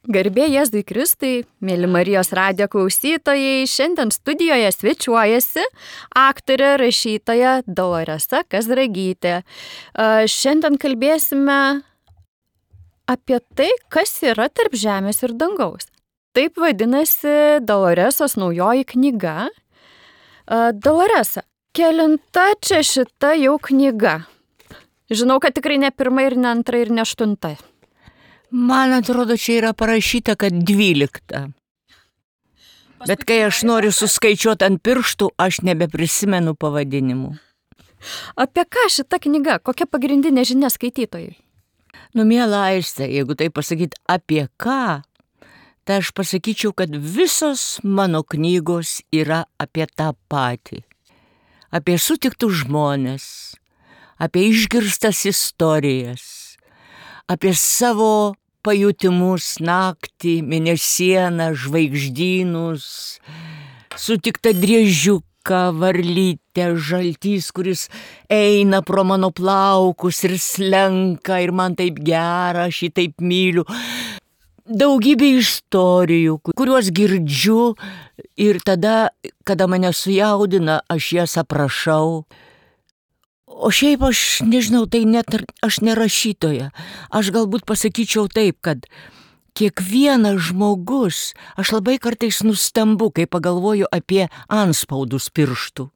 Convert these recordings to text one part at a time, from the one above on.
Garbė Jėzui Kristui, mėly Marijos radijo klausytojai, šiandien studijoje svečiuojasi aktorė, rašytoja Doloresa Kazragytė. Šiandien kalbėsime apie tai, kas yra tarp žemės ir dangaus. Taip vadinasi Doloresos naujoji knyga. Doloresa, kelinta čia šita jau knyga? Žinau, kad tikrai ne pirma ir ne antra ir ne aštunta. Man atrodo, čia yra parašyta, kad 12. Bet kai aš noriu suskaičiuoti ant pirštų, aš nebeprisimenu pavadinimų. Apie ką šita knyga? Kokia pagrindinė žinia skaitytojai? Miela Aiste, jeigu tai pasakyti apie ką, tai aš pasakyčiau, kad visos mano knygos yra apie tą patį. Apie sutiktus žmones, apie išgirstas istorijas, apie savo pajutimus naktį, mėnesieną, žvaigždynus, sutiktą driežiuką, varlytę, žaltys, kuris eina pro mano plaukus ir slenka ir man taip gera, aš jį taip myliu. Daugybė istorijų, kuriuos girdžiu ir tada, kada mane sujaudina, aš jas aprašau. O šiaip aš nežinau, tai net aš nerašytoja. Aš galbūt pasakyčiau taip, kad kiekvienas žmogus, aš labai kartais nustembu, kai pagalvoju apie antspaudus pirštų,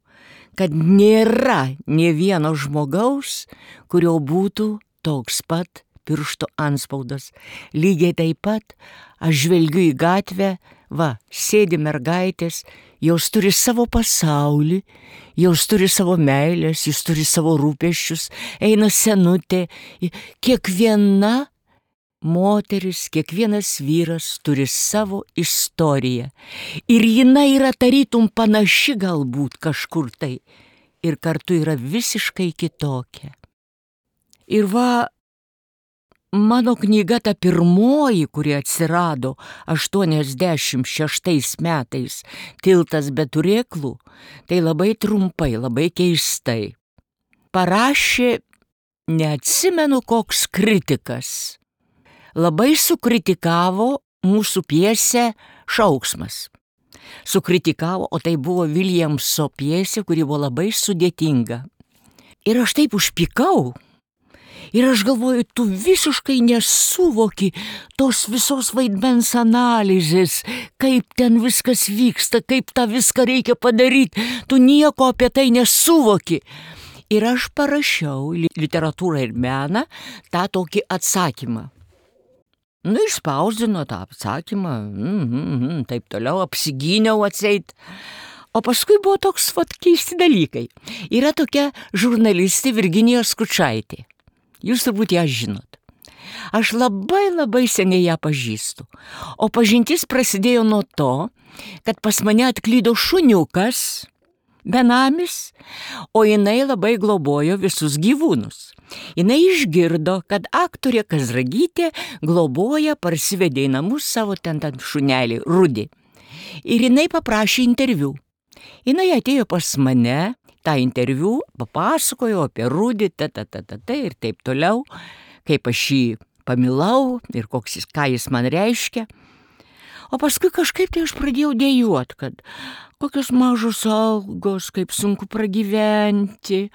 kad nėra nė vieno žmogaus, kurio būtų toks pat piršto antspaudas. Lygiai taip pat aš žvelgiu į gatvę, sėdi mergaitės, jos turi savo pasaulį, jos turi savo meilės, jis turi savo rūpesčius, eina senutė. Kiekviena moteris, kiekvienas vyras turi savo istoriją. Ir jinai yra tarytum panaši galbūt kažkur tai. Ir kartu yra visiškai kitokia. Ir mano knyga ta pirmoji, kuri atsirado 86 metais, Tiltas be turėklų, tai labai trumpai, labai keistai. Parašė, neatsimenu koks kritikas, labai sukritikavo mūsų pjesę Šauksmas. Sukritikavo, o tai buvo Viljamso pjesė, kuri buvo labai sudėtinga. Ir aš taip užpykau. Ir aš galvoju, tu visiškai nesuvoki tos visos vaidmens analizės, kaip ten viskas vyksta, kaip tą viską reikia padaryti. Tu nieko apie tai nesuvoki. Ir aš parašiau literatūrą ir meną tą tokį atsakymą. Išspausdino tą atsakymą, taip toliau, apsigyniau atseit. O paskui buvo toks keisti dalykai. Yra tokia žurnalistė Virginija Skučaitė. Jūs turbūt ją žinot. Aš labai seniai ją pažįstu. O pažintis prasidėjo nuo to, kad pas mane atklydo šuniukas, benamis, o jinai labai globojo visus gyvūnus. Jinai išgirdo, kad aktorė Kazragytė globoja, parsivedė į namus savo ten šunelį, Rudį. Ir jinai paprašė interviu. Jinai atėjo pas mane, tą interviu, papasakojo apie Rudį, ir taip toliau, kaip aš jį pamilau ir ką jis man reiškia. O paskui kažkaip tai aš pradėjau dejuot, kad kokios mažos algos, kaip sunku pragyventi,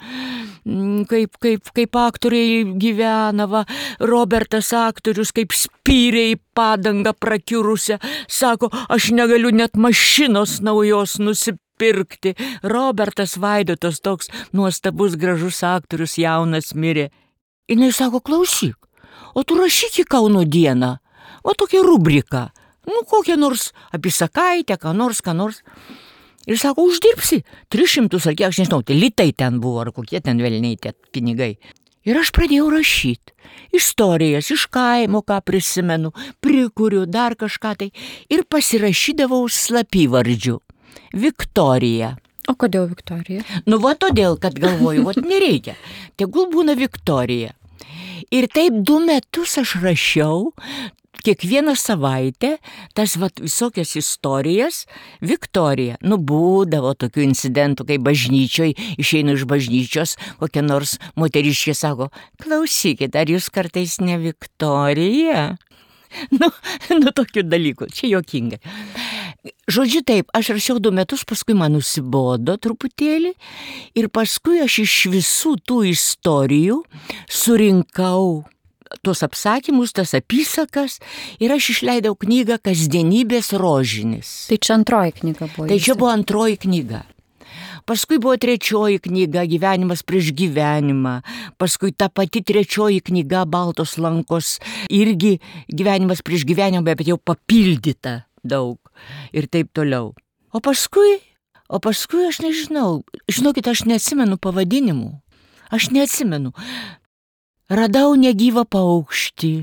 kaip aktoriai gyvena, Robertas aktorius, kaip spyrė į padangą prakiurusią, sako, aš negaliu net mašinos naujos nusipirkti. Robertas Vaidotas, toks nuostabus, gražus aktorius, jaunas, mirė. Jinai sako, klausyk, o tu rašyk į Kauno dieną, tokia rubrika, kokią nors apysakaitę, ką nors. Ir sako, uždirbsi 300 ar kiek, aš nežinau, tai litai ten buvo, ar kokie ten velniai tie pinigai. Ir aš pradėjau rašyti istorijas iš kaimo, ką prisimenu, prikuriu dar kažką tai ir pasirašydavau slapyvardžiu. Viktorija. O kodėl Viktorija? Todėl, kad galvoju, nereikia. Tegul būna Viktorija. Ir taip 2 metus aš rašiau, kiekvieną savaitę tas visokias istorijas Viktorija. Būdavo tokių incidentų, kai bažnyčioj, išeinu iš bažnyčios, kokia nors moteriškė sako, klausykit, ar jūs kartais ne Viktorija? Nu, tokių dalykų, čia juokinga. Žodžiu taip, aš rašiau 2 metus, paskui man nusibodo truputėlį ir paskui aš iš visų tų istorijų surinkau tuos apsakymus, tas apysakas ir aš išleidau knygą Kasdienybės rožinis. Tai čia antroji knyga buvo. Tai čia buvo antroji knyga. Paskui buvo 3 knyga Gyvenimas prieš gyvenimą, paskui ta pati 3 knyga Baltos lankos irgi Gyvenimas prieš gyvenimą, bet jau papildyta daug ir taip toliau. O paskui aš nežinau, žinokit, aš neatsimenu pavadinimų, aš neatsimenu. Radau negyvą paukštį,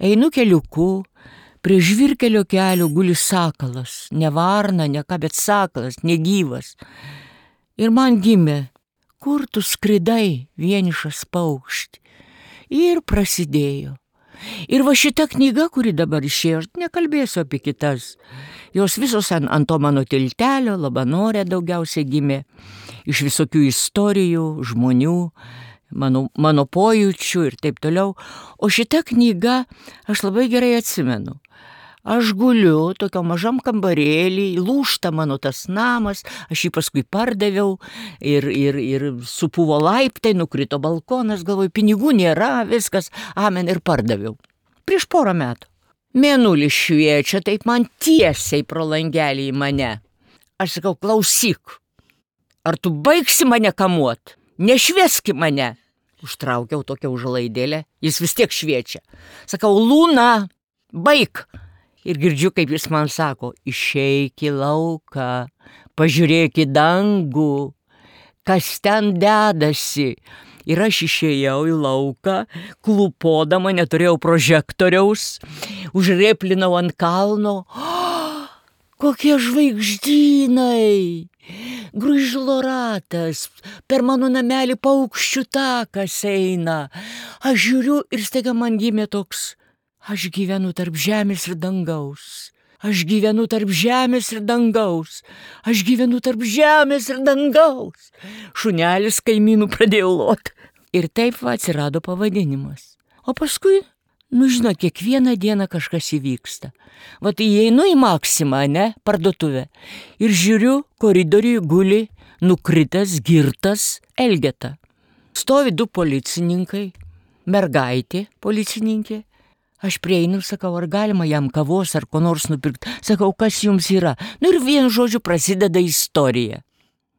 einu keliuku, prie žvyrkelio kelio guli sakalas, ne varna, ne ką, bet sakalas, negyvas. Ir man gimė, kur tu skridai, vienišas paukšti. Ir prasidėjo. Ir va šita knyga, kuri dabar išėjo, aš nekalbėsiu apie kitas. Jos visos ant to mano tiltelio, Labanore daugiausiai gimė, iš visokių istorijų, žmonių, mano pojūčių ir taip toliau. O šita knyga aš labai gerai atsimenu. Aš guliu tokio mažam kambarėlį, lūžta mano tas namas, aš jį paskui pardaviau ir supuvo laiptai, nukrito balkonas, galvoju, pinigų nėra, viskas, amen, ir pardaviau. Prieš 4 metų. Mėnulis šviečia, taip man tiesiai pro langelį į mane. Aš sakau, klausyk, ar tu baigsi mane kamuot? Nešvieski mane. Užtraukiau tokią užlaidėlę, jis vis tiek šviečia. Sakau, Lūna, baik. Ir girdžiu, kaip jis man sako, išeik į lauką, pažiūrėk į dangų, kas ten dedasi. Ir aš išėjau į lauką, klūpodama, neturėjau prožektoriaus, užrėplinau ant kalno. Kokie žvaigždynai! Gružlo ratas, per mano namelį paukščių takas eina. Aš žiūriu ir staiga man gimė toks, aš gyvenu tarp žemės ir dangaus. Aš gyvenu tarp žemės ir dangaus. Aš gyvenu tarp žemės ir dangaus. Šunelis kaimynų pradėjo lot. Ir taip va atsirado pavadinimas. O paskui, žinot, kiekvieną dieną kažkas įvyksta. Vat įeinu į Maksimą, parduotuvę. Ir žiūriu, koridoriui guli nukritęs, girtas Elgeta. Stovi 2 policininkai, mergaitė policininkė. Aš prieinu ir sakau, ar galima jam kavos ar ko nors nupirkti. Sakau, kas jums yra? Ir vienu žodžiu prasideda istorija.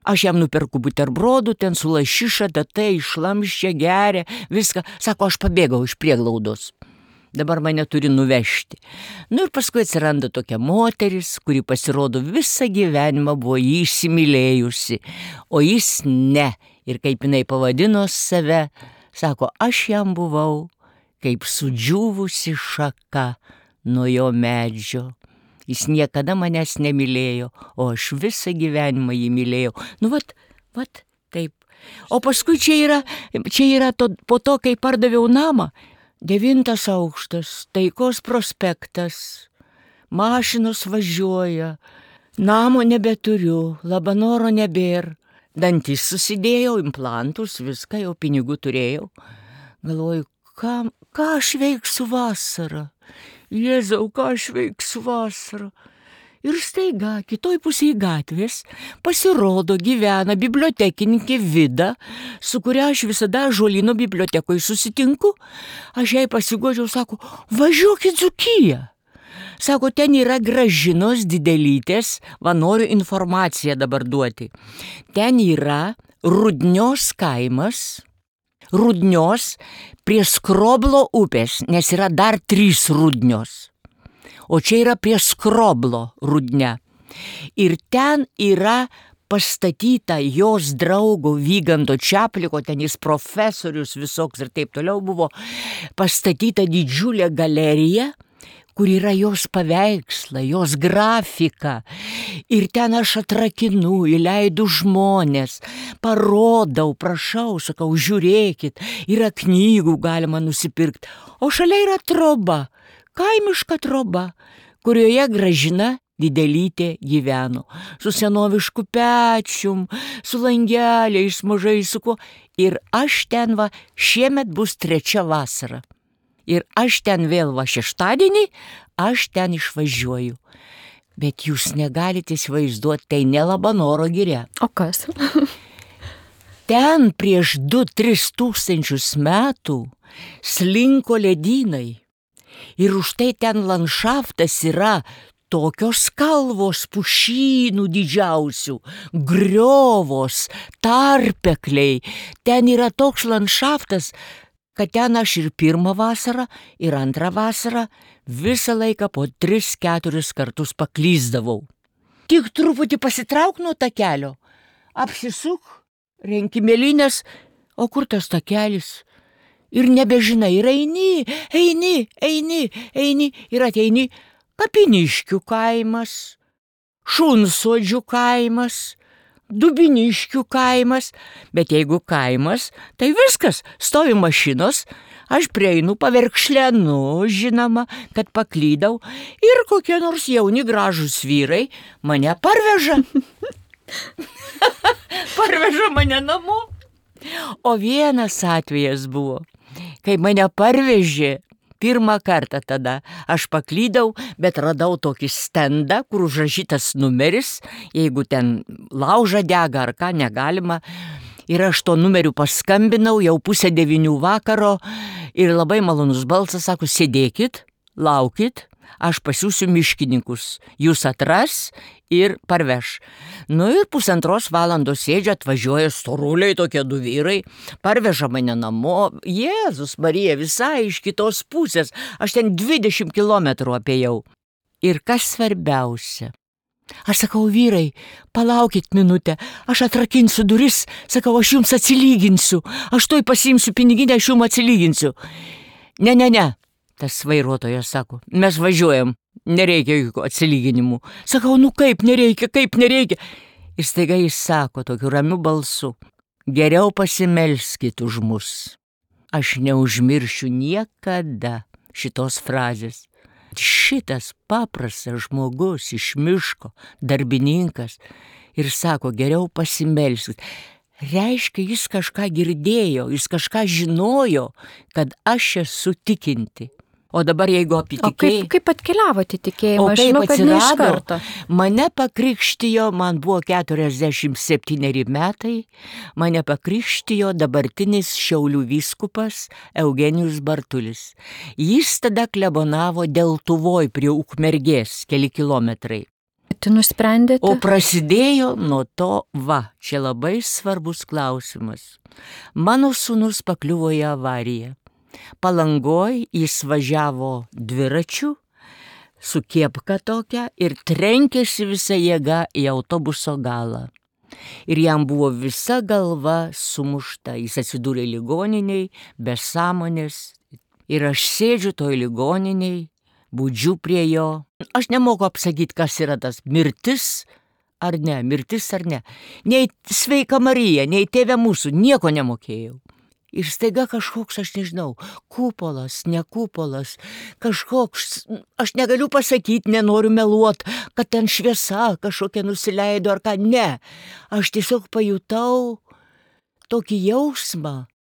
Aš jam nuperku buterbrodų, ten su lašiša, datai, šlamščia, geria, viską. Sako, aš pabėgau iš prieglaudos. Dabar mane turi nuvežti. Ir paskui atsiranda tokia moteris, kuri pasirodo visą gyvenimą buvo jį įsimylėjusi, o jis ne. Ir kaip jinai pavadino save, sako, aš jam buvau kaip sudžiūvusi šaka nuo jo medžio. Jis niekada manęs nemylėjo, o aš visą gyvenimą jį mylėjau. Vat, taip. O paskui čia yra po to, kai pardaviau namą, 9 aukštas, Taikos prospektas, mašinos važiuoja, namo nebeturiu, Labanoro nebėr, dantis susidėjau, implantus, viską, jau pinigų turėjau. Galvoju, ką aš veiksiu vasarą? Jėzau, ką aš veiksiu vasarą? Ir staiga, kitoj pusėje gatvės, pasirodo gyvena bibliotekininkė Vida, su kuria aš visada Ąžuolyno bibliotekoje susitinku. Aš jai pasiguodžiau, sako, važiuok į Dzūkiją. Sako, ten yra Gražinos Didelytės, va noriu informaciją dabar duoti. Ten yra Rudnios kaimas, Rudnios prie Skroblo upės, nes yra dar 3 Rudnios. O čia yra prie Skroblo Rudnia. Ir ten yra pastatyta jos draugo Vyganto Čapliko, ten jis profesorius visoks ir taip toliau buvo, pastatyta didžiulė galerija, kur yra jos paveikslai, jos grafika. Ir ten aš atrakinu, įleidu žmonės, parodau, prašau, sakau, žiūrėkit, yra knygų galima nusipirkti. O šalia yra troba, kaimiška troba, kurioje Gražina Didelytė gyveno. Su senovišku pečium, su langeliais mažai su kuo. Ir aš ten šiemet bus 3 vasara. Ir aš ten vėl šeštadienį, aš ten išvažiuoju. Bet jūs negalite įsivaizduoti, tai ne Labanoro giria. O kas? Ten prieš 2-3 tūkstančius metų slinko ledynai. Ir už tai ten landšaftas yra tokios kalvos pušynų didžiausių, griovos, tarpekliai. Ten yra toks landšaftas, kad ten aš ir pirmą vasarą, ir antrą vasarą visą laiką po 3-4 kartus paklysdavau. Tik truputį pasitrauk nuo takelio, apsisuk, renki mėlynės, o kur tas takelis? Ir nebežinai, ir eini, ir ateini Kapiniškių kaimas, Šunsodžių kaimas, Dubiniškių kaimas, bet jeigu kaimas, tai viskas, stovi mašinos, aš prieinu, paverkšlenu, žinoma, kad paklydau ir kokie nors jauni gražūs vyrai mane parveža. Parveža mane namo. O vienas atvejas buvo, kai mane parvežė. Pirmą kartą tada aš paklydau, bet radau tokį stendą, kur užrašytas numeris, jeigu ten lauža dega ar ką negalima. Ir aš to numeriu paskambinau jau 8:30 vakaro ir labai malonus balsas sako, sėdėkit, laukit, aš pasiūsiu miškininkus, jūs atras ir parveš. Nu ir 1,5 valandos sėdžia, atvažiuoja storuliai tokie 2 vyrai, parveža mane namo. Jėzus Marija, visai iš kitos pusės, aš ten 20 kilometrų apėjau. Ir kas svarbiausia? Aš sakau, vyrai, palaukit minutę, aš atrakinsiu duris, sakau, aš jums atsilyginsiu, aš toj pasiimsiu piniginę, aš jums atsilyginsiu. Ne, tas vairuotojas sako, mes važiuojam. Nereikia jokių atsilyginimų. Sakau, nu kaip nereikia. Ir staiga jis sako tokiu ramiu balsu, geriau pasimelskit už mus. Aš neužmiršiu niekada šitos frazės. Šitas paprastas žmogus iš miško, darbininkas, ir sako, geriau pasimelskit. Reiškia, jis kažką girdėjo, jis kažką žinojo, kad aš esu tikinti. O dabar jeigu apitikėjai... O kaip atkeliavote tikėjimą? Aš žinau, kad ne iš karto. Mane pakrikštijo, man buvo 47 metai, mane pakrikštijo dabartinis Šiaulių vyskupas Eugenijus Bartulis. Jis tada klebonavo Deltuvoj prie Ukmergės, keli kilometrai. Tu nusprendėte? O prasidėjo nuo to, čia labai svarbus klausimas. Mano sūnus pakliuvo į avariją. Palangoj jis važiavo dviračiu su kėpka tokia ir trenkėsi visą jėgą į autobuso galą. Ir jam buvo visa galva sumušta, jis atsidūrė ligoniniai, be sąmonės. Ir aš sėdžiu toj ligoniniai, budžiu prie jo. Aš nemoku apsakyti, kas yra tas mirtis ar ne. Nei Sveika Marija, nei Tėve mūsų, nieko nemokėjau. Ir staiga kažkoks, aš nežinau, kupolas, ne kupolas, kažkoks, aš negaliu pasakyti, nenoriu meluot, kad ten šviesa kažkokia nusileido ar ką, ne. Aš tiesiog pajutau tokį jausmą,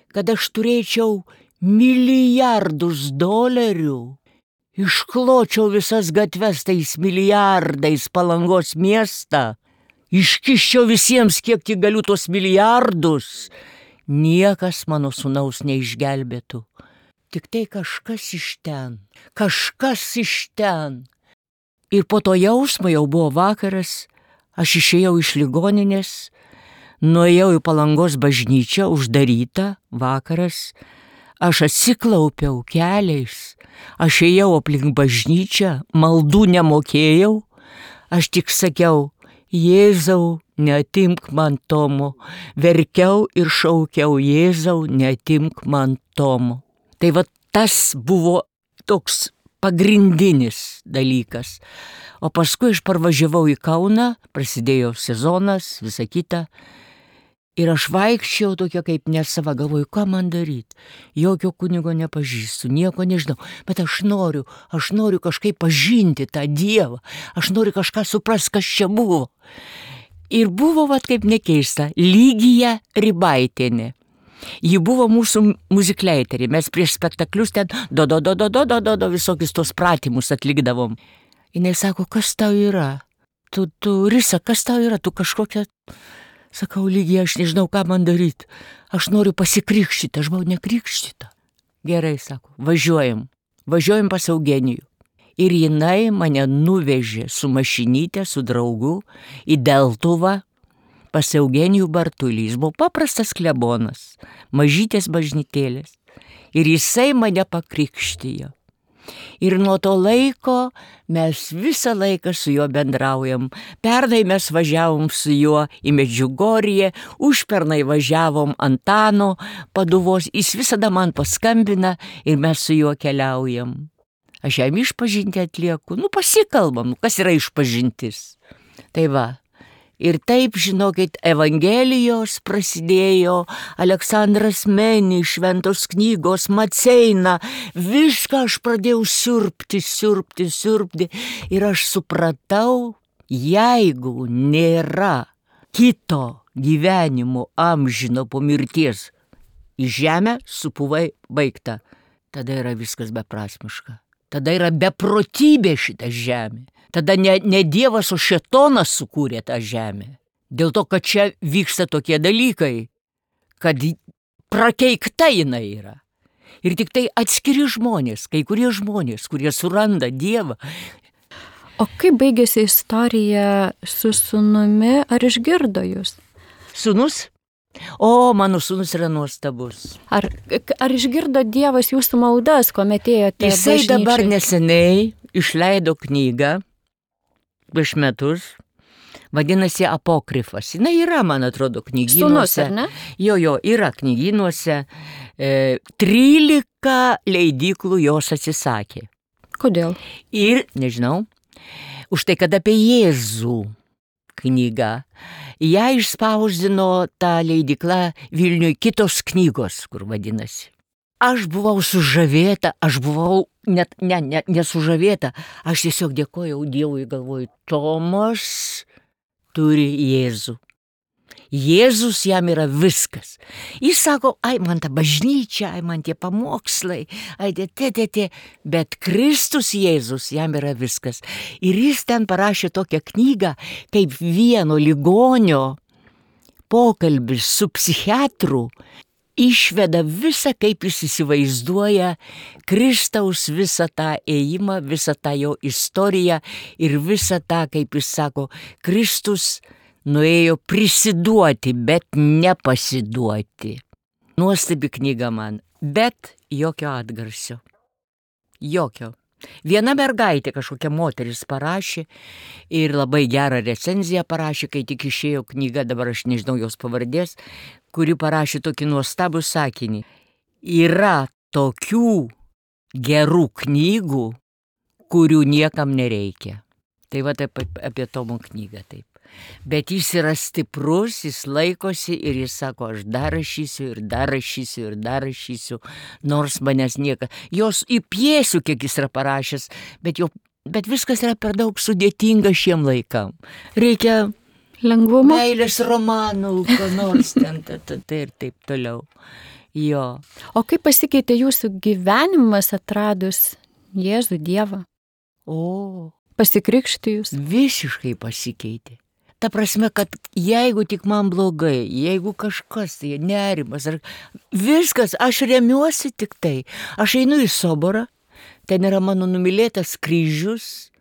kad aš turėčiau milijardus dolerių, iškločiau visas gatves tais milijardais Palangos miestą, iškiščiau visiems, kiek tik galiu tos milijardus. Niekas mano sūnaus neišgelbėtų. Tik tai kažkas iš ten. Ir po to jausmo jau buvo vakaras, aš išėjau iš ligoninės, nuėjau į Palangos bažnyčią, uždarytą, vakaras, aš atsiklaupiau keliais, aš ėjau aplink bažnyčią, maldų nemokėjau, aš tik sakiau, Jėzau, neatimk man Tomo, verkiau ir šaukiau, Jėzau, neatimk man Tomo. Tai va tas buvo toks pagrindinis dalykas. O paskui aš parvažiavau į Kauną, prasidėjo sezonas, visa kita. Ir aš vaikščiau tokia kaip nesava, galvoju, ką man daryti. Jokio kunigo nepažįstu, nieko nežinau, bet aš noriu kažkaip pažinti tą Dievą, aš noriu kažką suprasti, kas čia buvo. Ir buvo, kaip nekeista, Lygija Rybaitienė. Ji buvo mūsų muzikleiterė. Mes prieš spektaklius ten do visokius tos pratimus atlikdavom. Jinai sako, kas tau yra? Tu, Risa, kas tau yra? Tu kažkokia... Sakau, lygiai, aš nežinau, ką man daryti. Aš noriu pasikrikštyti, aš buvau nekrikštyta. Gerai, sako, važiuojam pas Eugenijų. Ir jinai mane nuvežė su mašinyte, su draugu į Deltuvą pas Eugenijų Bartulį. Jis buvo paprastas klebonas, mažytės bažnytėlės. Ir jisai mane pakrikštijo. Ir nuo to laiko mes visą laiką su juo bendraujam. Pernai mes važiavom su juo į Medžiugorję, užpernai važiavom Antano Paduvos. Jis visada man paskambina ir mes su juo keliaujam. Aš jam išpažintį atlieku. Pasikalbam, kas yra išpažintis. Tai va. Ir taip, žinokit, Evangelijos prasidėjo, Aleksandras Meni, Šventos knygos, Maceina, viską aš pradėjau siurbti. Ir aš supratau, jeigu nėra kito gyvenimo amžino po mirties, į žemę supuvai baigta, tada yra viskas beprasmiška. Tada yra beprotybė šita žemė. Tada ne Dievas, o šėtonas sukūrė tą žemę. Dėl to, kad čia vyksta tokie dalykai, kad prakeikta jinai yra. Ir tik tai atskiri žmonės, kai kurie žmonės, kurie suranda Dievą. O kaip baigėsi istorija su sūnumi, ar išgirdo jūs? Sūnus? O, mano sūnus yra nuostabus. Ar išgirdo Dievas jūsų maldas, kuomet ėjote bažnyčiai? Jisai dabar neseniai išleido knygą prieš metus, vadinasi Apokrifas. Jis yra, man atrodo, knygynuose. Sūnus, ar ne? Jo, yra knygynuose. 13 leidyklų jos atsisakė. Kodėl? Ir, nežinau, už tai, kad apie Jėzų knygą. Ją išspausdino ta leidykla Vilniuje Kitos knygos, kur vadinasi. Aš buvau sužavėta, net nesužavėta, aš tiesiog dėkojau Dievui, galvoju, Tomas turi Jėzų. Jėzus jam yra viskas. Jis sako, man ta bažnyčia, man tie pamokslai, bet Kristus Jėzus jam yra viskas. Ir jis ten parašė tokią knygą, kaip vieno ligonio pokalbis su psichiatru, išveda visą, kaip jis įsivaizduoja Kristaus visą tą ėjimą, visą tą jo istoriją ir visą tą, kaip jis sako, Kristus nuėjo prisiduoti, bet nepasiduoti. Nuostabi knyga man, bet jokio atgarsio. Jokio. Viena mergaitė, kažkokia moteris parašė ir labai gerą recenziją parašė, kai tik išėjo knyga, dabar aš nežinau jos pavardės, kuri parašė tokį nuostabų sakinį. Yra tokių gerų knygų, kurių niekam nereikia. Tai va taip apie Tomo knygą taip. Bet jis yra stiprus, jis laikosi ir jis sako, aš dar rašysiu, nors manęs niekas. Jos į pjesių, kiek jis yra parašęs, bet viskas yra per daug sudėtinga šiem laikam. Reikia lengvumo, meilės romanų, ko nors ten, tai ir taip toliau. Jo. O kaip pasikeitė jūsų gyvenimas atradus Jėzų Dievą? Pasikrikštijus? Visiškai pasikeitė. Ta prasme, kad jeigu tik man blogai, jeigu kažkas, tai nerimas, viskas, aš remiuosi tik tai. Aš einu į soborą, ten yra mano numylėtas kryžius,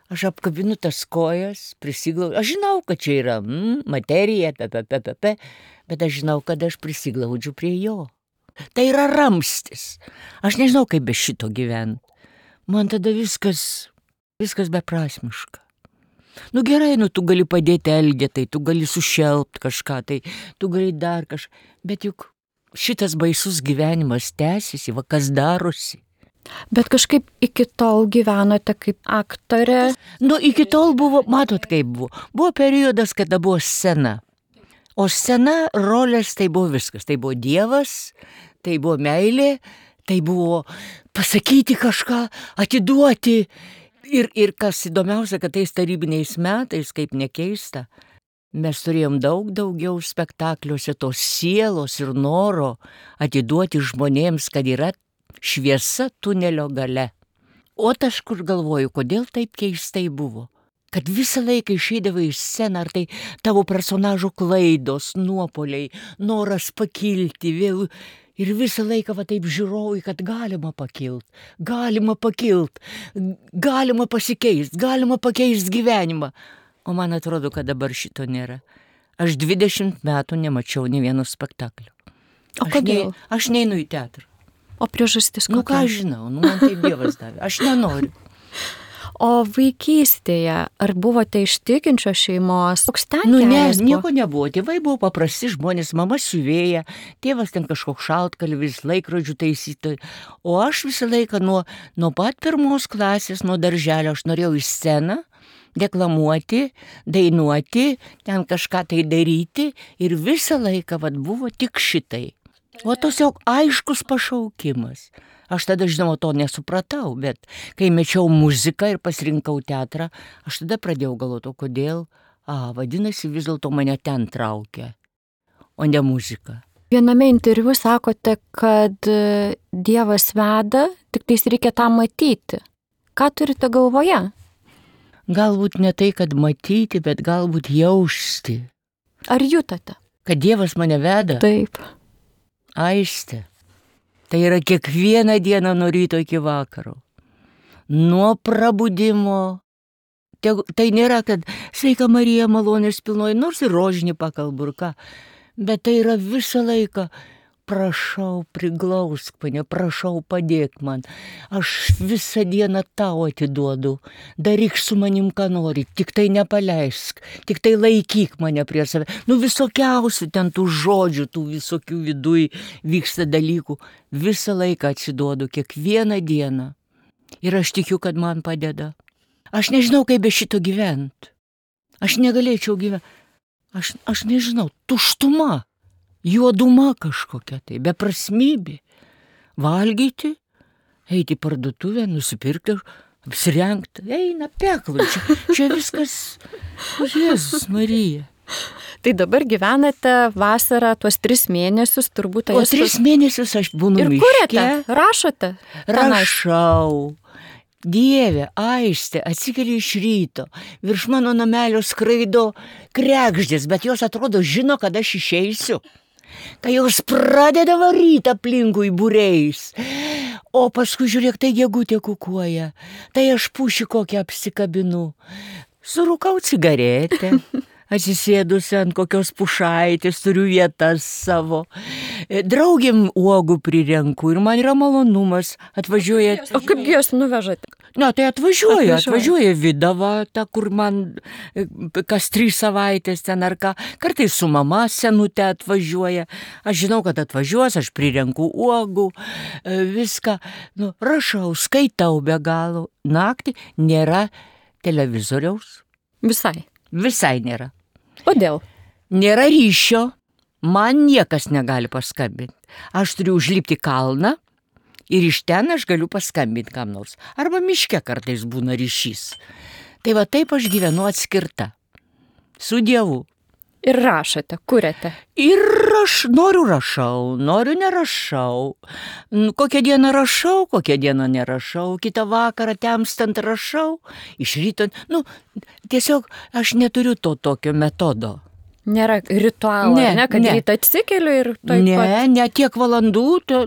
aš apkabinu tas kojas, prisiglaudžiu. Aš žinau, kad čia yra materija, bet aš žinau, kad aš prisiglaudžiu prie jo. Tai yra ramstis. Aš nežinau, kaip be šito gyventi. Man tada viskas beprasmiška. Gerai, tu gali padėti Elgetai, tu gali sušelpt kažką, tai tu gali dar kažką, bet juk šitas baisus gyvenimas tęsiasi, kas darosi. Bet kažkaip iki tol gyvenote kaip aktorė? Iki tol buvo, matot kaip buvo. Buvo periodas, kada buvo scena. O scena, rolės, tai buvo viskas. Tai buvo Dievas, tai buvo meilė, tai buvo pasakyti kažką, atiduoti. Ir kas įdomiausia, kad tais tarybiniais metais, kaip nekeista, mes turėjom daug daugiau spektakliuose tos sielos ir noro atiduoti žmonėms, kad yra šviesa tunelio gale. O aš kur galvoju, kodėl taip keistai buvo? Kad visą laiką išeidavai iš sceną, ar tai tavo personažo klaidos, nuopoliai, noras pakilti vėl. Ir visą laiką va taip žiūrovai, kad galima pakilt, galima pasikeist, galima pakeist gyvenimą. O man atrodo, kad dabar šito nėra. Aš 20 metų nemačiau nė vieno spektaklio. O kodėl? Aš neinu į teatrą. O priežastis kokia? Nu ką žinau, man taip Dievas davė, aš nenoriu. O vaikystėje, ar buvote iš tikinčios šeimos? Koks ten kelias buvo? Nieko nebuvo. Tėvai buvo paprasti žmonės, mama siuvėja, tėvas ten kažkoks šaltkalvis, laikrodžių taisyti. O aš visą laiką nuo pat 1 klasės, nuo darželio, aš norėjau į sceną, deklamuoti, dainuoti, ten kažką tai daryti ir visą laiką buvo tik šitai. O tiesiog aiškus pašaukimas. Aš tada, žinoma, to nesupratau, bet kai mečiau muziką ir pasirinkau teatrą, aš tada pradėjau galvoti, kodėl, vadinasi, vis dėlto mane ten traukia, o ne muzika. Viename interviu sakote, kad Dievas veda, tik tais reikia tą matyti. Ką turite galvoje? Galbūt ne tai, kad matyti, bet galbūt jausti. Ar jutate? Kad Dievas mane veda? Taip. Aistė. Tai yra kiekvieną dieną nuo ryto iki vakaro. Nuo prabudimo. Tai nėra, kad sveika Marija malonės pilnoji, nors ir rožinį pakalbu ir ką. Bet tai yra visą laiką. Prašau, priglausk mane, prašau, padėk man. Aš visą dieną tau atiduodu. Daryk su manim, ką nori, tik tai nepaleisk, tik tai laikyk mane prie save. Visokiausių ten tų žodžių, tų visokių viduj vyksta dalykų. Visą laiką atsiduodu, kiekvieną dieną. Ir aš tikiu, kad man padeda. Aš nežinau, kaip be šito gyventi. Aš negalėčiau gyventi. Aš nežinau, tuštuma. Juoduma kažkokia tai, beprasmybė. Valgyti, eiti į parduotuvę, nusipirkti, apsirengti, eina peklai, čia viskas, Jėzus Marija. Tai dabar gyvenate vasarą tuos 3 mėnesius, turbūt... O 3 mėnesius aš būnu miške. Ir kuriate? Rašote? Rašau. Dieve, Aistė, atsikeli iš ryto, virš mano namelio skraido kregždės, bet jos atrodo žino, kad aš išeisiu. Kai jos pradeda varyti aplinkui būreis. O paskui žiūrėk, tai gegutė kukuoja, tai aš pušį kokią apsikabinu. Surūkau cigaretę, atsisėdusi ant kokios pušaitės, turiu vietas savo. Draugėm uogų prirenku ir man yra malonumas. Atvažiuoja... O kaipgi jos nuvežate? Na, tai atvažiuoja Vidava, ta, kur man kas 3 savaitės ten ar ką. Kartais su mama senutė atvažiuoja. Aš žinau, kad atvažiuos, aš prirenku uogų, viską. Rašau, skaitau be galo. Naktį nėra televizoriaus. Visai nėra. Kodėl? Nėra ryšio. Man niekas negali paskambinti. Aš turiu užlipti kalną. Ir iš ten aš galiu paskambinti kam nors. Arba miške kartais būna ryšys. Tai va taip aš gyvenu atskirta. Su Dievu. Ir rašote, kuriate. Ir noriu rašau, noriu nerašau. Kokią dieną rašau, kokią dieną nerašau. Kitą vakarą temstant rašau. Iš ryto, tiesiog aš neturiu to tokio metodo. Nėra ritualo, kad rytą atsikeliu ir taip pat. Ne, tiek valandų,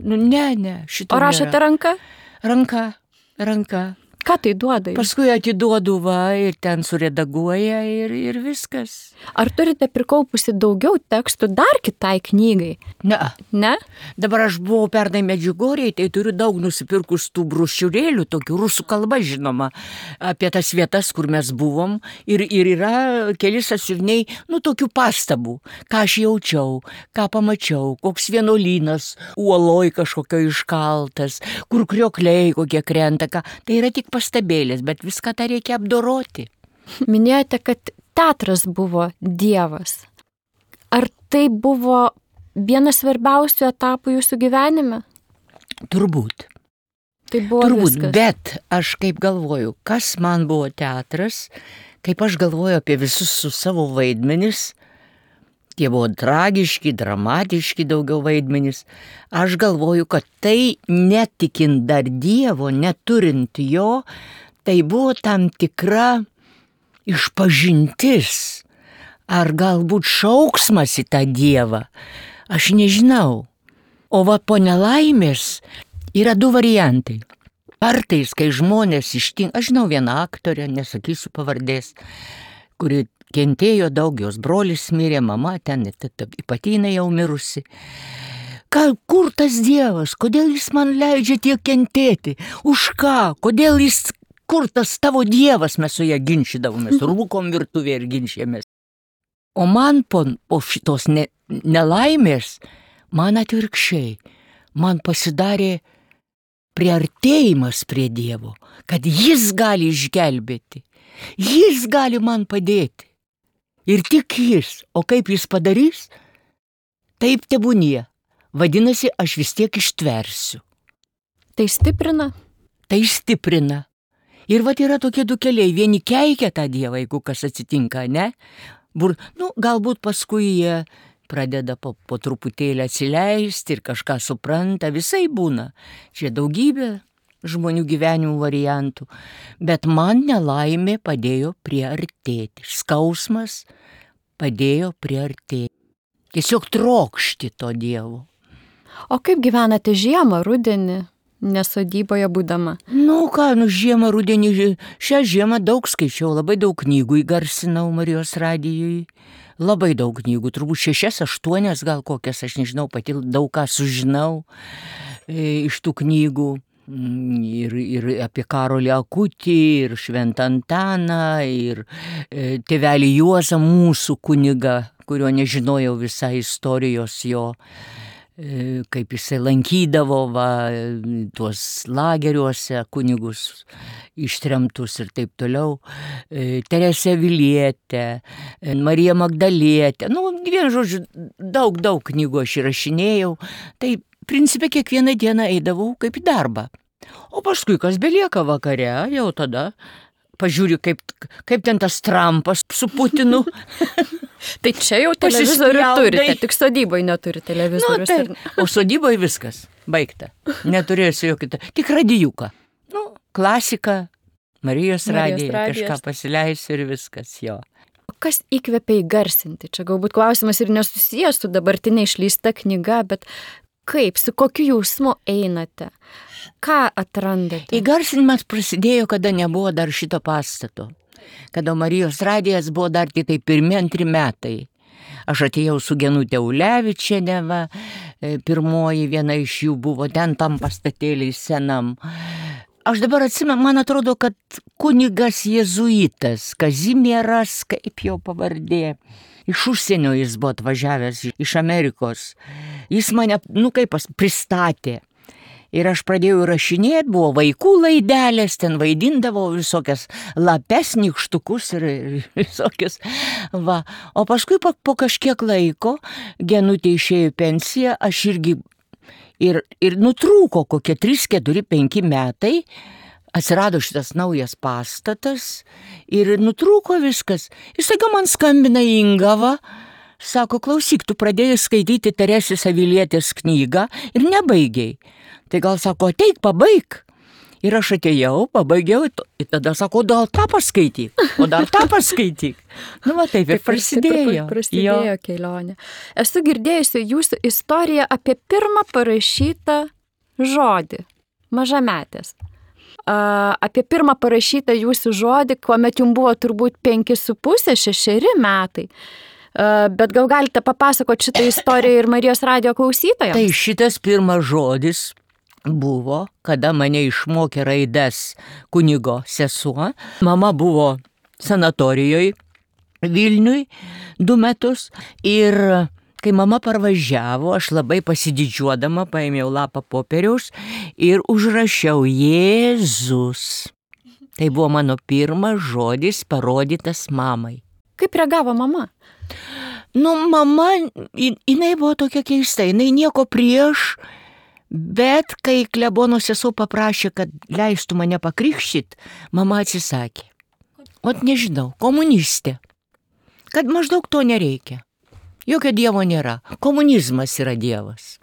ne, šito O rašote ranka? Ranka. Ką tai duoda? Paskui atiduodu ir ten suredaguoja ir viskas. Ar turite prikaupusi daugiau tekstų dar kitai knygai? Ne? Dabar aš buvau pernai Medžiugorjėj, tai turiu daug nusipirkus tų brošiūrėlių, tokių rusų kalba žinoma, apie tas vietas, kur mes buvom. Ir yra keli sąsiuviniai, tokių pastabų, ką aš jaučiau, ką pamačiau, koks vienuolynas, uoloj kažkokio iškaltas, kur kriokliai kokie krenta, ką. Tai yra tik pastabėlės, bet viską tą reikia apdoroti. Minėjote, kad teatras buvo Dievas. Ar tai buvo vienas svarbiausių etapų jūsų gyvenime? Turbūt. Tai buvo viskas. Bet aš kaip galvoju, kas man buvo teatras, kaip aš galvoju apie visus su savo vaidmenis, Tie buvo tragiški, dramatiški daugiau vaidmenys. Aš galvoju, kad tai netikint dar Dievo, neturint jo, tai buvo tam tikra išpažintis. Ar galbūt šauksmas į tą Dievą. Aš nežinau. O va po nelaimės yra du variantai. Kartais, kai žmonės ištinka, aš žinau vieną aktorę, nesakysiu pavardės, kuri kentėjo daug, jos brolis mirė, mama ten ypatingai jau mirusi. Kur tas Dievas, kodėl jis man leidžia tiek kentėti, už ką, kodėl jis, kur tas tavo Dievas, mes su ją ginčydavomės, rūkom virtuvėje ir ginčėmės. O man po šitos nelaimės, man atvirkščiai, man pasidarė priartėjimas prie Dievo, kad jis gali išgelbėti, jis gali man padėti. Ir tik jis, o kaip jis padarys, taip tebūnie. Vadinasi, aš vis tiek ištversiu. Tai stiprina? Tai stiprina. Ir vat yra tokie du keliai, vieni keikia tą Dievą, jeigu kas atsitinka, ne? Galbūt paskui jie pradeda po truputėlį atsileisti ir kažką supranta, visai būna. Čia daugybė žmonių gyvenimų variantų, bet man nelaimė padėjo priartėti, skausmas padėjo priartėti. Tiesiog trokšti to Dievo. O kaip gyvenate žiemą, rudenį, nesodyboje būdama? Žiemą, rudenį, šią žiemą daug skaičiau, labai daug knygų įgarsinau Marijos radijui. Labai daug knygų, turbūt 6-8 gal kokias, aš nežinau, pati daug ką sužinau iš tų knygų. Ir apie Karolį Akutį, ir Šventą Antaną, ir tėvelį Juozą, mūsų kunigą, kurio nežinojau visą istorijos jo, kaip jisai lankydavo tuos lageriuose kunigus ištremtus ir taip toliau. Teresė Vilietė, Marija Magdalietė, vienu žodžiu, daug knygų aš įrašinėjau. Tai principe kiekvieną dieną eidavau kaip į darbą. O paskui, kas belieka vakare, jau tada pažiūriu, kaip ten tas Trumpas su Putinu. Tai čia jau televizorių turite, tik sodyboje neturi televizorių. O sodyboje viskas, baigta. Neturėsiu jokio, tik radijuką. Klasika, Marijos radija, kažką pasileisiu ir viskas jo. Kas įkvepia įgarsinti? Čia galbūt klausimas ir nesusijęs su dabartinė išleista knyga, bet kaip, su kokiu jausmu einate? Ką atrandate? Įgarsinimas prasidėjo, kada nebuvo dar šito pastato. Kada Marijos radijas buvo dar tik 1-2 metai. Aš atėjau su Genutė Ulevičienė, pirmoji viena iš jų buvo ten tam pastatėliai senam. Aš dabar atsimenu, man atrodo, kad kunigas jėzuitas, Kazimieras, kaip jo pavardė, iš užsienio jis buvo atvažiavęs, iš Amerikos. Jis mane, pristatė. Ir aš pradėjau rašinėti, buvo vaikų laidelės, ten vaidindavau visokias lapes, nykštukus ir visokias. O paskui po kažkiek laiko Genutė išėjo į pensiją, aš irgi ir nutrūko kokie 3-4-5 metai, atsirado šitas naujas pastatas ir nutrūko viskas. Ir staiga man skambina Ingava, sako, klausyk, tu pradėjai skaityti Teresės Avilietės knygą ir nebaigiai. Tai gal sako, ateik, pabaig. Ir aš atėjau, pabaigiau, ir tada sako, dar tą paskaityk, o dar tą paskaityk. Taip ir prasidėjo. Prasidėjo kelionė. Esu girdėjusi jūsų istoriją apie pirmą parašytą žodį, mažametės. Apie pirmą parašytą jūsų žodį, kuomet jums buvo turbūt 5,5-6 metai. Bet gal galite papasakoti šitą istoriją ir Marijos radijo klausytojams? Tai šitas pirmas žodis buvo, kada mane išmokė raides kunigo sesuo. Mama buvo sanatorijoje Vilniui 2 metus ir kai mama parvažiavo, aš labai pasididžiuodama paėmiau lapą popieriaus ir užrašiau Jėzus. Tai buvo mano pirmas žodis parodytas mamai. Kaip reagavo mama? Mama, jinai buvo tokia keista, jinai nieko prieš, bet kai klebono sesuo paprašė, kad leistų mane pakrikštyt, mama atsisakė. Nežinau, komunistė, kad maždaug to nereikia. Jokio dievo nėra. Komunizmas yra dievas.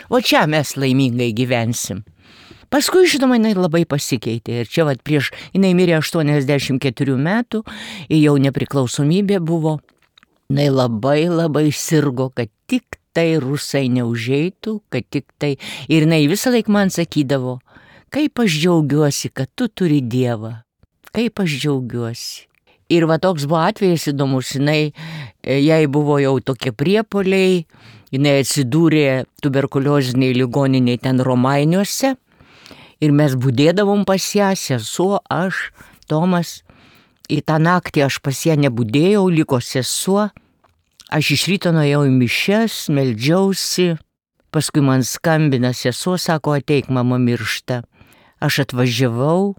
O čia mes laimingai gyvensim. Paskui, žinoma, jinai labai pasikeitė. Ir čia prieš, jinai mirė 84 metų, jau nepriklausomybė buvo. Jinai labai sirgo, kad tik tai rusai neužeitų, kad tik tai. Ir jinai visą laiką man sakydavo, kaip aš džiaugiuosi, kad tu turi dievą. Kaip aš džiaugiuosi. Ir toks buvo atvejis įdomus, jai buvo jau tokie priepuoliai, jinai atsidūrė tuberkulioziniai ligoniniai ten Romainiuose ir mes budėdavom pas ją, sesuo, aš, Tomas. Ir tą naktį aš pas ją nebudėjau, liko sesuo, aš iš ryto nuėjau į mišias, meldžiausi, paskui man skambina sesuo, sako, ateik, mama miršta. Aš atvažiavau.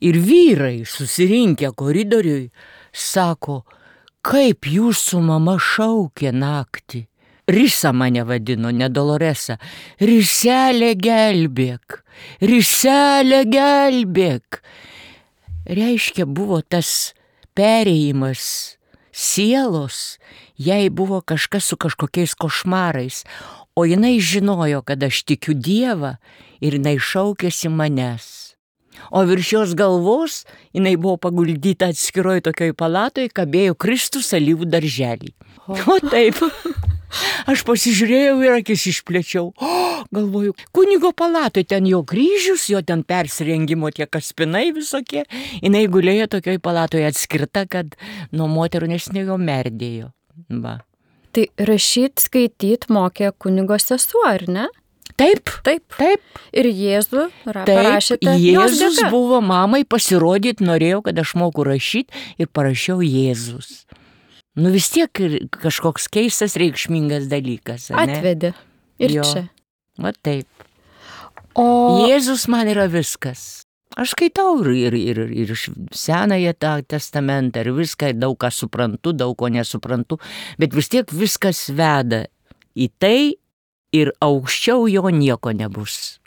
Ir vyrai susirinkę koridoriui sako, kaip jūsų mama šaukė naktį. Risa mane vadino, ne Doloresa. Riselė gelbėk, Riselė gelbėk. Reiškia, buvo tas perėjimas sielos, jai buvo kažkas su kažkokiais košmarais, o jinai žinojo, kad aš tikiu Dievą ir jinai šaukėsi manęs. O virš jos galvos jinai buvo paguldyta atskiroj tokioj palatoj, kabėjo Kristus alyvų darželį. O taip, aš pasižiūrėjau ir akis išplėčiau. Galvoju, kunigo palatoj, ten jo kryžius, jo ten persirengimo tie kaspinai visokie. Jinai gulėjo tokioj palatoj atskirta, kad nuo moterų nesnėjo merdėjo. Va. Tai rašyt, skaityt mokė kunigo sesuo, ar ne? Taip. Ir Jėzų parašėte. Jėzus buvo mamai pasirodyti, norėjau, kad aš moku rašyti ir parašiau Jėzus. Vis tiek kažkoks keistas, reikšmingas dalykas. Ne? Atvedė. Ir jo. Čia. Va taip. O Jėzus man yra viskas. Aš skaitau ir Senąją testamentą, ir viską, daug ką suprantu, daug ko nesuprantu, bet vis tiek viskas veda į tai, ir aukščiau jo nieko nebus.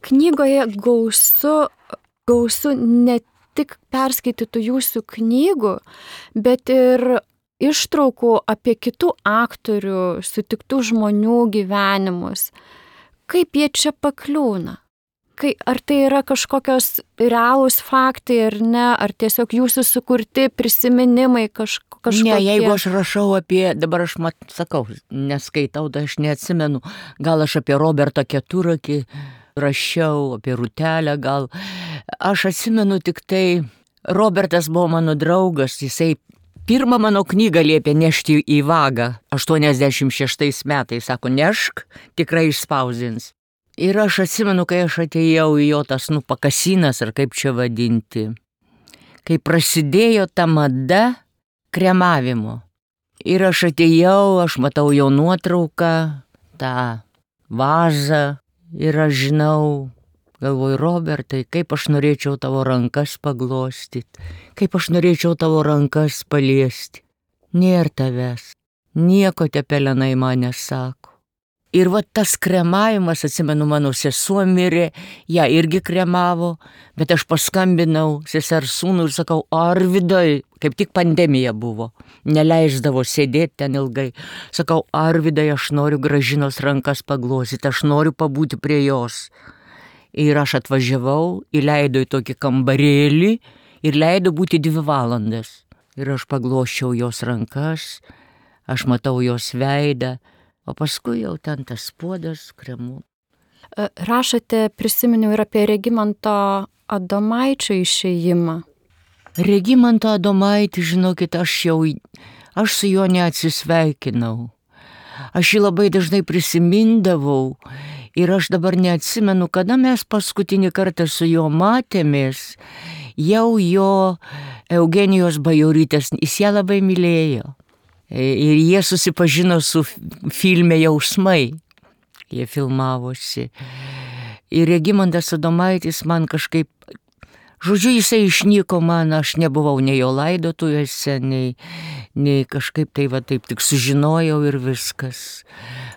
Knygoje gausu ne tik perskaitytų jūsų knygų, bet ir ištraukų apie kitų aktorių, sutiktų žmonių gyvenimus. Kaip jie čia pakliūna? Ar tai yra kažkokios realūs faktai ar ne, ar tiesiog jūsų sukurti prisiminimai kažkokie? Ne, jeigu aš rašau apie, dabar aš sakau, neskaitau, tai aš neatsimenu, gal aš apie Robertą Keturakį rašiau, apie Rutelę gal. Aš atsimenu tik tai, Robertas buvo mano draugas, jisai pirmą mano knygą liepė nešti į vagą, 86 metais, sako, nešk, tikrai išspausdins. Ir aš atsimenu, kai aš atėjau į jo tas pakasinas, ar kaip čia vadinti, kai prasidėjo ta mada kremavimo. Ir aš atėjau, aš matau jo nuotrauką, tą vazą, ir aš žinau, galvoju, Robertai, kaip aš norėčiau tavo rankas paglostyti, kaip aš norėčiau tavo rankas paliesti. Nėr tavęs, nieko tie pelenai man nesako. Ir tas kremavimas, atsimenu, mano sesuo mirė, ją irgi kremavo, bet aš paskambinau sesers sūnų ir sakau, Arvydai, kaip tik pandemija buvo, neleisdavo sėdėti ten ilgai. Sakau, Arvydai, aš noriu Gražinos rankas paglostyti, aš noriu pabūti prie jos. Ir aš atvažiavau, įleidau į tokį kambarėlį ir leidau būti 2 valandas. Ir aš paglosčiau jos rankas, aš matau jos veidą. O paskui jau ten tas puodas kremu. Rašote, prisiminiau, ir apie Regimanto Adomaičio išėjimą. Regimanto Adomaitį, žinokit, aš su juo neatsisveikinau. Aš jį labai dažnai prisimindavau ir aš dabar neatsimenu, kada mes paskutinį kartą su juo matėmės. Jau jo Eugenijos Bajorytės, jis ją labai mylėjo. Ir jie susipažino su filme Jausmai. Jie filmavosi. Ir Regimantas Adomaitis man kažkaip, žodžiu, jisai išnyko man, aš nebuvau nei jo laidotuvėse, nei kažkaip tai taip tik sužinojau ir viskas.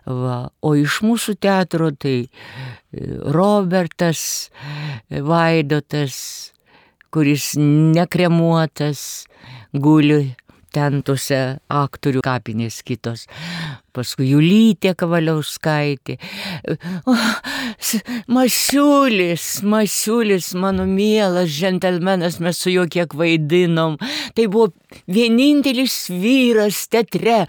Va. O iš mūsų teatro tai Robertas Vaidotas, kuris nekremuotas, guli ten tuose aktorių kapinės kitos. Paskui Julytė Kavaliauskaitė. Masiulis, mano mielas džentelmenas, mes su juo kiek vaidinom. Tai buvo vienintelis vyras teatre,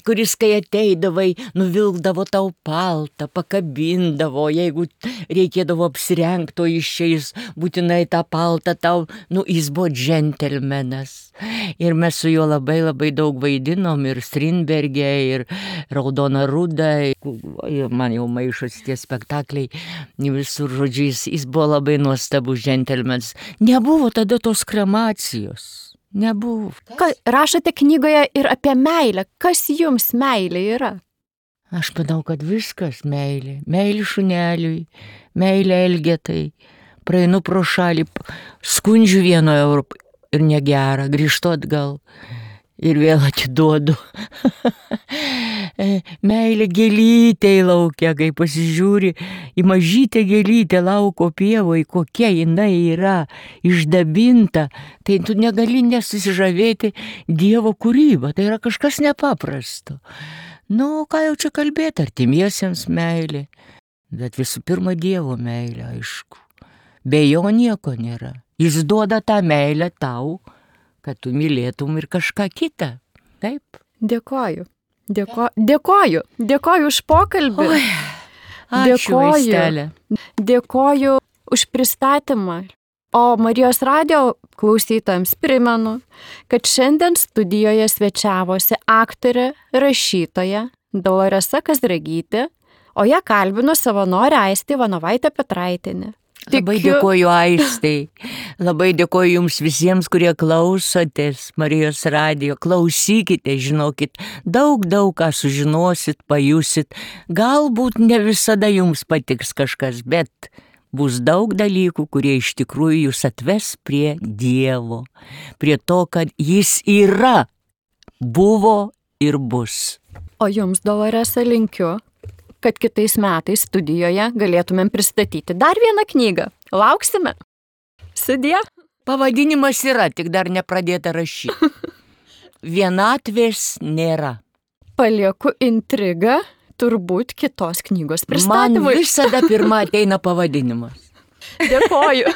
kuris, kai ateidavai, nuvilkdavo tau paltą, pakabindavo, jeigu reikėdavo apsirengto išeis, būtinai tą paltą tau, jis buvo džentelmenas. Ir mes su juo labai daug vaidinom, ir Strindberge, ir Raudona Ruda, man jau maišosi tie spektakliai, visur žodžiu, jis buvo labai nuostabus džentelmenas. Nebuvo tada tos kremacijos, nebuvo. Rašote knygoje ir apie meilę. Kas jums meilė yra? Aš manau, kad viskas meilė. Meilė šuneliui, meilė Elgetai. Praeinu pro šalį, skundžiu 1 eurą ir negera, grįžtu atgal. Ir vėl atiduodu. Meilė gėlytė į laukę, kai pasižiūri į mažytę gėlytę lauko pievoje, kokia jinai yra išdabinta, tai tu negali nesusižavėti Dievo kūrybą, tai yra kažkas nepaprasto. Ką jau čia kalbėti, artimiesiems meilė, bet visų pirma Dievo meilė, aišku. Be jo nieko nėra. Jis duoda tą meilę tau, kad tu mylėtum ir kažką kitą. Taip. Dėkoju už pokalbį. Oi, ačiū, Aistelė. Dėkoju už pristatymą. O Marijos radijo klausytojams primenu, kad šiandien studijoje svečiavosi aktorė, rašytoja Doloresa Kazragytė, o ją kalbino savanorė Aistė Ivanovaitė Petraitienė. Labai dėkoju Aistei, labai dėkoju jums visiems, kurie klausotės Marijos radijo. Klausykite, žinokit, daug ką sužinosit, pajusit. Galbūt ne visada jums patiks kažkas, bet bus daug dalykų, kurie iš tikrųjų jūs atves prie Dievo, prie to, kad jis yra, buvo ir bus. O jums, Doloresa, linkiu, kad kitais metais studijoje galėtumėm pristatyti dar vieną knygą. Lauksime. Sudie. Pavadinimas yra, tik dar nepradėta rašyti. Vienatvės nėra. Palieku intrigą, turbūt kitos knygos pristatymui. Man visada pirma ateina pavadinimas. Dėkoju.